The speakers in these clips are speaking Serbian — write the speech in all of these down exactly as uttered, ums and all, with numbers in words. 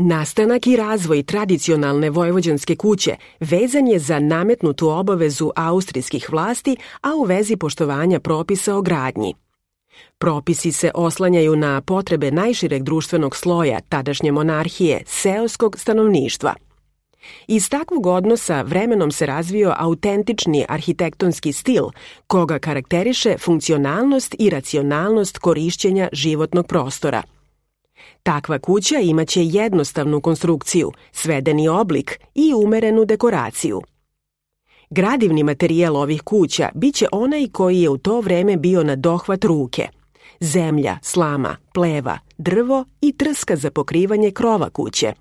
Nastanak i razvoj tradicionalne vojvođanske kuće vezan je za nametnutu obavezu austrijskih vlasti, a u vezi poštovanja propisa o gradnji. Propisi se oslanjaju na potrebe najšireg društvenog sloja tadašnje monarhije, seoskog stanovništva. Iz takvog odnosa vremenom se razvio autentični arhitektonski stil, koga karakteriše funkcionalnost i racionalnost korišćenja životnog prostora. Takva kuća imaće jednostavnu konstrukciju, svedeni oblik i umerenu dekoraciju. Gradivni materijal ovih kuća biće onaj koji je u to vreme bio na dohvat ruke. Zemlja, slama, pleva, drvo i trska za pokrivanje krova kuće.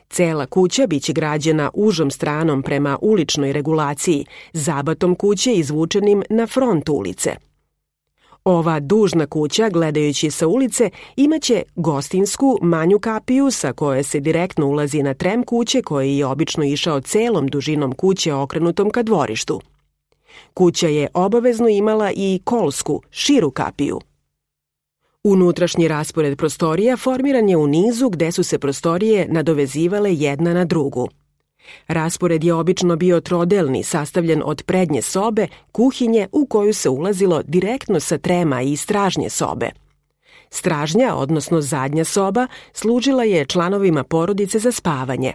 Cela kuća biće građena užom stranom prema uličnoj regulaciji, zabatom kuće izvučenim na front ulice. Ova dužna kuća, gledajući sa ulice, imaće gostinsku manju kapiju sa koje se direktno ulazi na trem kuće koji je obično išao celom dužinom kuće okrenutom ka dvorištu. Kuća je obavezno imala i kolsku, širu kapiju. Unutrašnji raspored prostorija formiran je u nizu gde su se prostorije nadovezivale jedna na drugu. Raspored je obično bio trodelni, sastavljen od prednje sobe, kuhinje u koju se ulazilo direktno sa trema i stražnje sobe. Stražnja, odnosno zadnja soba, služila je članovima porodice za spavanje.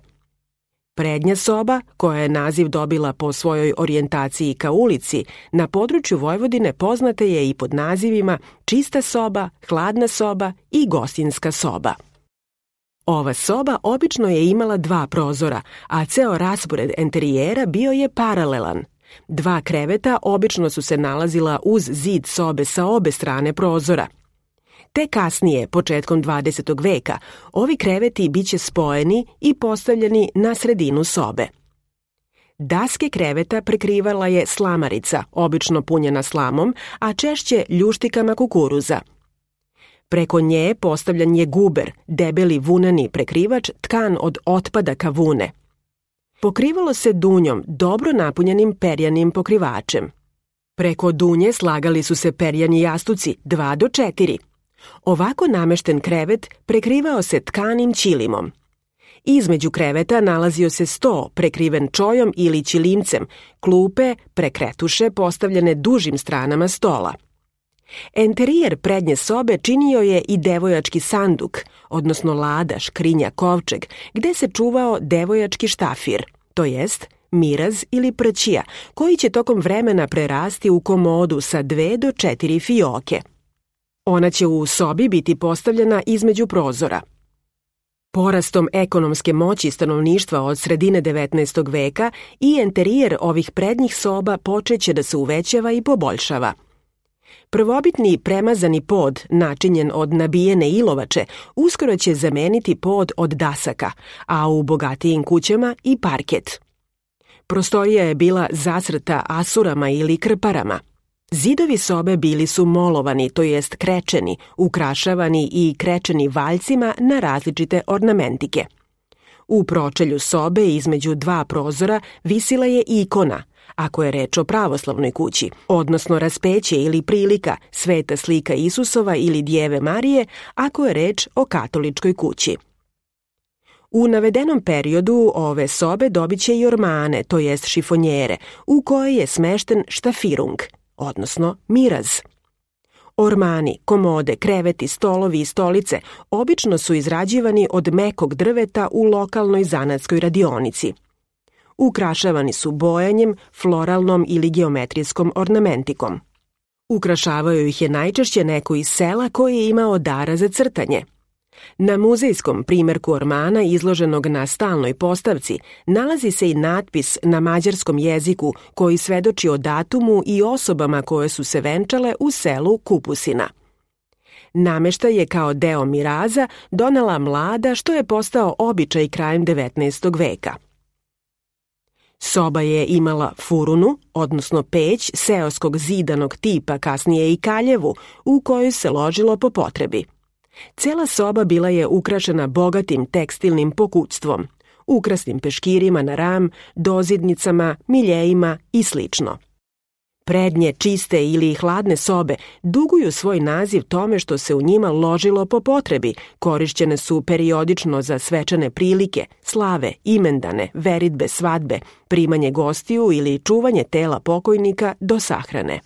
Prednja soba, koja je naziv dobila po svojoj orijentaciji ka ulici, na području Vojvodine poznata je i pod nazivima čista soba, hladna soba i gostinska soba. Ova soba obično je imala dva prozora, a ceo raspored enterijera bio je paralelan. Dva kreveta obično su se nalazila uz zid sobe sa obe strane prozora. Te kasnije, početkom dvadesetog veka, ovi kreveti biće spojeni i postavljeni na sredinu sobe. Daske kreveta prekrivala je slamarica, obično punjena slamom, a češće ljuštikama kukuruza. Preko nje postavljan je guber, debeli vunani prekrivač tkan od otpadaka vune. Pokrivalo se dunjom, dobro napunjenim perjanim pokrivačem. Preko dunje slagali su se perjani jastuci, dva do četiri. Ovako namešten krevet prekrivao se tkanim ćilimom. Između kreveta nalazio se sto prekriven čojom ili ćilimcem, klupe, prekretuše postavljene dužim stranama stola. Enterijer prednje sobe činio je i devojački sanduk, odnosno lada, škrinja, kovčeg, gde se čuvao devojački štafir, to jest miraz ili prćija, koji će tokom vremena prerasti u komodu sa dve do četiri fioke. Ona će u sobi biti postavljena između prozora. Porastom ekonomske moći stanovništva od sredine devetnaestog veka i enterijer ovih prednjih soba počeće da se uvećava i poboljšava. Prvobitni premazani pod, načinjen od nabijene ilovače, uskoro će zameniti pod od dasaka, a u bogatijim kućama i parket. Prostorija je bila zasrta asurama ili krparama. Zidovi sobe bili su molovani, to jest krečeni, ukrašavani i krečeni valjcima na različite ornamentike. U pročelju sobe između dva prozora visila je ikona, ako je reč o pravoslavnoj kući, odnosno raspeće ili prilika, sveta slika Isusova ili Djeve Marije, ako je reč o katoličkoj kući. U navedenom periodu ove sobe dobit će i ormane, to jest šifonjere, u kojoj je smešten štafirung, odnosno miraz. Ormani, komode, kreveti, stolovi i stolice obično su izrađivani od mekog drveta u lokalnoj zanatskoj radionici. Ukrašavani su bojanjem, floralnom ili geometrijskom ornamentikom. Ukrašavaju ih je najčešće neko iz sela koji je imao dara za crtanje. Na muzejskom primjerku ormana izloženog na stalnoj postavci nalazi se i natpis na mađarskom jeziku koji svedoči o datumu i osobama koje su se venčale u selu Kupusina. Nameštaj je kao deo miraza donela mlada, što je postao običaj krajem devetnaestog veka. Soba je imala furunu, odnosno peć seoskog zidanog tipa, kasnije i kaljevu, u kojoj se ložilo po potrebi. Cela soba bila je ukrašena bogatim tekstilnim pokućstvom, ukrasnim peškirima na ram, dozidnicama, miljejima i slično. Prednje, čiste ili hladne sobe duguju svoj naziv tome što se u njima ložilo po potrebi, korišćene su periodično za svečane prilike, slave, imendane, veritbe, svadbe, primanje gostiju ili čuvanje tela pokojnika do sahrane.